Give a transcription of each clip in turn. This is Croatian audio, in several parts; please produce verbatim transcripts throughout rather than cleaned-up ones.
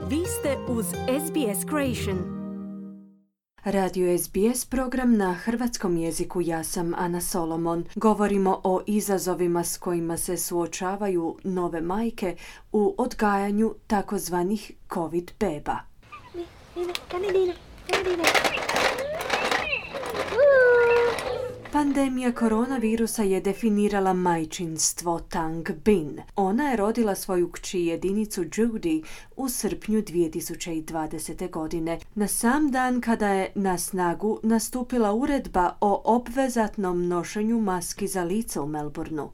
Vi ste uz S B S Creation. Radio S B S program na hrvatskom jeziku. Ja sam Ana Solomon. Govorimo o izazovima s kojima se suočavaju nove majke u odgajanju takozvanih COVID beba. Pandemija koronavirusa je definirala majčinstvo Tang Bin. Ona je rodila svoju kći jedinicu Judy u srpnju dvije tisuće dvadesete. godine, na sam dan kada je na snagu nastupila uredba o obvezatnom nošenju maski za lice u Melbourneu.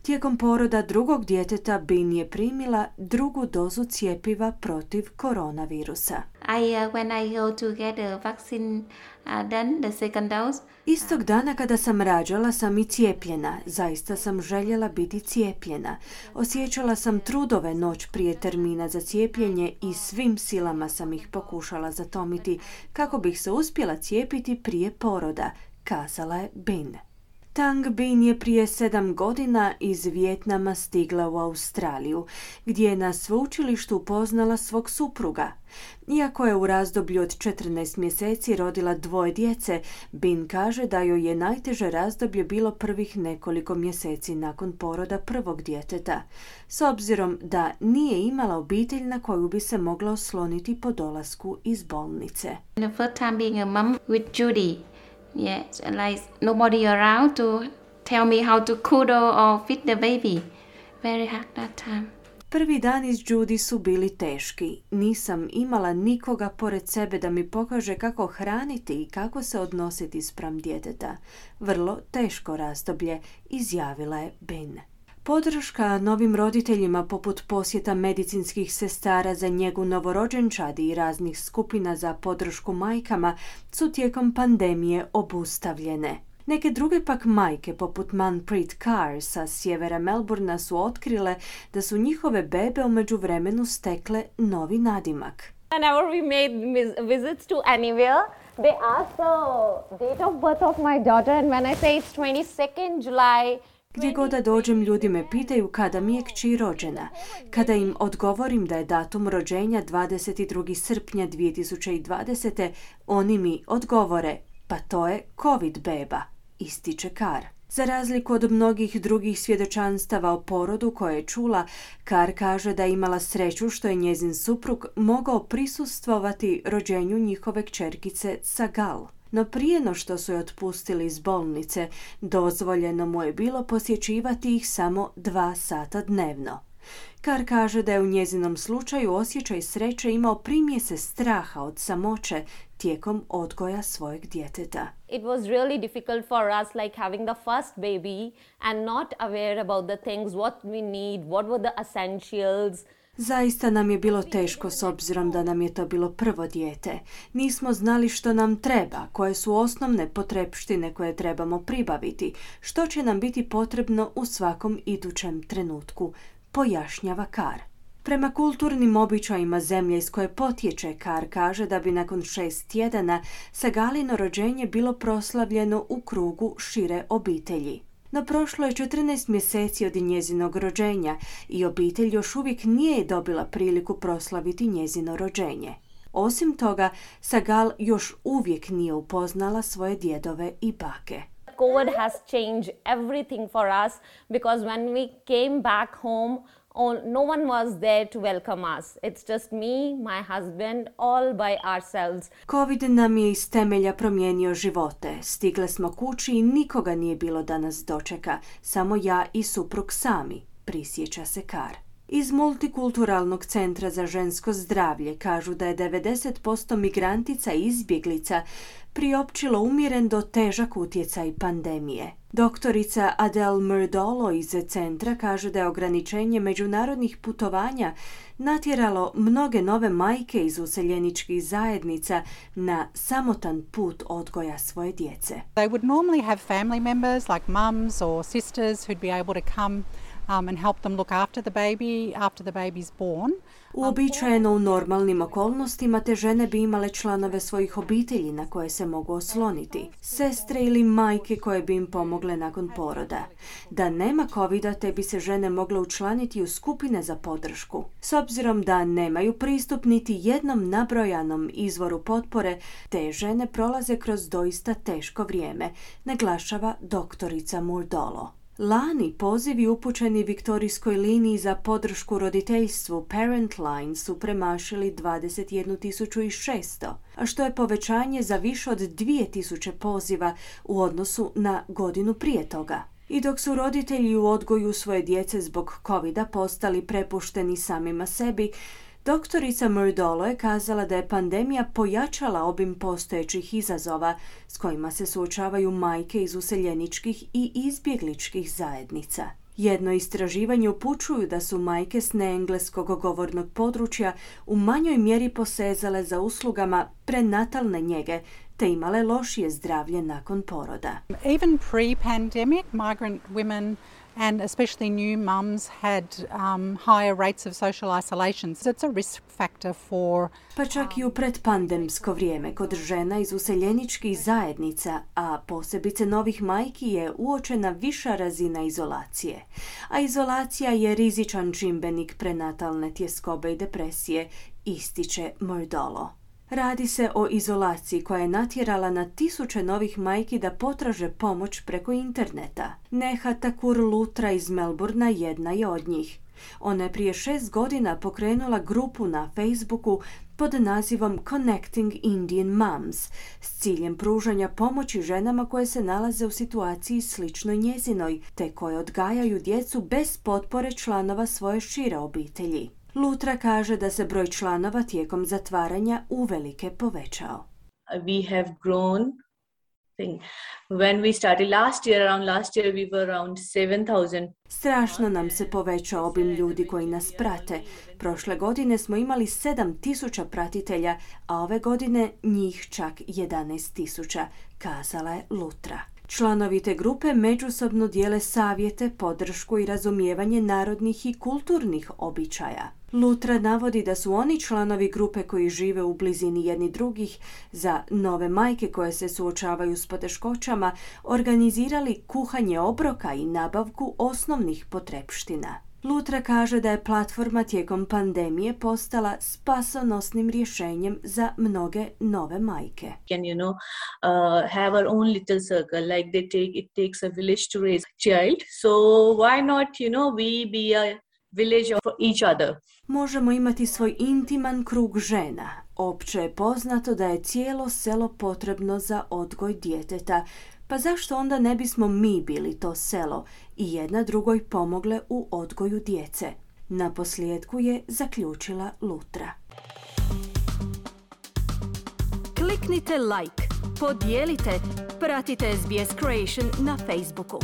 Tijekom poroda drugog djeteta Bin je primila drugu dozu cjepiva protiv koronavirusa. I, uh, when I go to get a vaccine uh, done, the second dose. Istog dana kada sam rađala sam i cijepljena. Zaista sam željela biti cijepljena. Osjećala sam trudove noć prije termina za cijepljenje i svim silama sam ih pokušala zatomiti kako bih se uspjela cijepiti prije poroda, kazala je Bin. Tang Bin je prije sedam godina iz Vijetnama stigla u Australiju, gdje je na sveučilištu upoznala svog supruga. Iako je u razdoblju od četrnaest mjeseci rodila dvoje djece, Bin kaže da joj je najteže razdoblje bilo prvih nekoliko mjeseci nakon poroda prvog djeteta, s obzirom da nije imala obitelj na koju bi se mogla osloniti po dolasku iz bolnice. The first time being a mom with Judy. Yes, like nobody around to tell me how to cuddle or feed the baby. Very hard that time. Prvi dan iz Judy su bili teški. Nisam imala nikoga pored sebe da mi pokaže kako hraniti i kako se odnositi spram djeteta. Vrlo teško razdoblje, izjavila je Bin. Podrška novim roditeljima poput posjeta medicinskih sestara za njegu novorođenčadi i raznih skupina za podršku majkama su tijekom pandemije obustavljene. Neke druge pak majke poput Manpreet Kaur sa sjevera Melbournea su otkrile da su njihove bebe u međuvremenu stekle novi nadimak. Whenever we made visits to anywhere, they ask the date of birth of my daughter, and when I say it's twenty-second July. Gdje god da dođem, ljudi me pitaju kada mi je kći rođena. Kada im odgovorim da je datum rođenja dvadeset drugog srpnja dvije tisuće dvadesete. oni mi odgovore, pa to je COVID beba, ističe Kar. Za razliku od mnogih drugih svjedočanstava o porodu koje je čula, Kar kaže da je imala sreću što je njezin suprug mogao prisustvovati rođenju njihove kćerkice Sagal. No prije no što su je otpustili iz bolnice, dozvoljeno mu je bilo posjećivati ih samo dva sata dnevno. Kar kaže da je u njezinom slučaju osjećaj sreće imao primjese straha od samoće tijekom odgoja svojeg djeteta. It was really difficult for us, like having the first baby and not aware about the things, what we need, what were the essentials. Zaista nam je bilo teško s obzirom da nam je to bilo prvo dijete. Nismo znali što nam treba, koje su osnovne potrepštine koje trebamo pribaviti, što će nam biti potrebno u svakom idućem trenutku, pojašnjava Kar. Prema kulturnim običajima zemlje iz koje potječe, Kar kaže da bi nakon šest tjedana Sagalino rođenje bilo proslavljeno u krugu šire obitelji. No prošlo je četrnaest mjeseci od njezinog rođenja i obitelj još uvijek nije dobila priliku proslaviti njezino rođenje. Osim toga, Sagal još uvijek nije upoznala svoje djedove i bake. COVID has changed everything for us because when we came back home, no one was there to welcome us. It's just me, my husband, all by ourselves. COVID nam je iz temelja promijenio živote. Stigle smo kući i nikoga nije bilo da nas dočeka. Samo ja i suprug sami, prisjeća se Kar. Iz Multikulturalnog centra za žensko zdravlje kažu da je devedeset posto migrantica i izbjeglica priopćilo umjeren do težak utjecaj pandemije. Doktorica Adele Murdolo iz centra kaže da je ograničenje međunarodnih putovanja natjeralo mnoge nove majke iz useljeničkih zajednica na samotan put odgoja svoje djece. They would normally have family members like mums or sisters who'd be able to come um, and help them look after the baby after the baby's born. Uobičajeno u normalnim okolnostima te žene bi imale članove svojih obitelji na koje se mogu osloniti, sestre ili majke koje bi im pomogle nakon poroda. Da nema covida, te bi se žene mogle učlaniti u skupine za podršku. S obzirom da nemaju pristup niti jednom nabrojanom izvoru potpore, te žene prolaze kroz doista teško vrijeme, naglašava doktorica Murdolo. Lani pozivi upućeni Viktorijskoj liniji za podršku roditeljstvu Parent Line su premašili dvadeset jednu tisuću šesto, a što je povećanje za više od dvije tisuće poziva u odnosu na godinu prije toga. I dok su roditelji u odgoju svoje djece zbog covida postali prepušteni samima sebi, doktorica Murdolo je kazala da je pandemija pojačala obim postojećih izazova s kojima se suočavaju majke iz useljeničkih i izbjegličkih zajednica. Jedno istraživanje upućuju da su majke s neengleskog govornog područja u manjoj mjeri posezale za uslugama prenatalne njege te imale lošije zdravlje nakon poroda. Even pre-pandemic, migrant women and especially new mums had um, higher rates of social isolation. So it's a risk factor for... Pa čak i u predpandemsko vrijeme kod žena iz useljeničkih zajednica, a posebice novih majki, je uočena viša razina izolacije. A izolacija je rizičan čimbenik prenatalne tjeskobe i depresije, ističe Murdolo. Radi se o izolaciji koja je natjerala na tisuće novih majki da potraže pomoć preko interneta. Neha Thakur Luthra iz Melbourna jedna je od njih. Ona je prije šest godina pokrenula grupu na Facebooku pod nazivom Connecting Indian Moms s ciljem pružanja pomoći ženama koje se nalaze u situaciji sličnoj njezinoj, te koje odgajaju djecu bez potpore članova svoje šire obitelji. Luthra kaže da se broj članova tijekom zatvaranja uvelike povećao. We have grown. When we started last year, around last year we were around seven thousand. Strašno nam se povećao obim ljudi koji nas prate. Prošle godine smo imali sedam tisuća pratitelja, a ove godine njih čak jedanaest tisuća, kazala je Luthra. Članovi te grupe međusobno dijele savjete, podršku i razumijevanje narodnih i kulturnih običaja. Luthra navodi da su oni članovi grupe koji žive u blizini jedni drugih za nove majke koje se suočavaju s poteškoćama organizirali kuhanje obroka i nabavku osnovnih potrepština. Luthra kaže da je platforma tijekom pandemije postala spasonosnim rješenjem za mnoge nove majke. Can you know uh, have our own little circle like they take it takes a village to raise a child, so why not you know we be a village for each other. Možemo imati svoj intiman krug žena. Opće je poznato da je cijelo selo potrebno za odgoj djeteta, pa zašto onda ne bismo mi bili to selo i jedna drugoj pomogle u odgoju djece? Na posljedku je zaključila Luthra. Kliknite like, podijelite, pratite S B S Creation na Facebooku.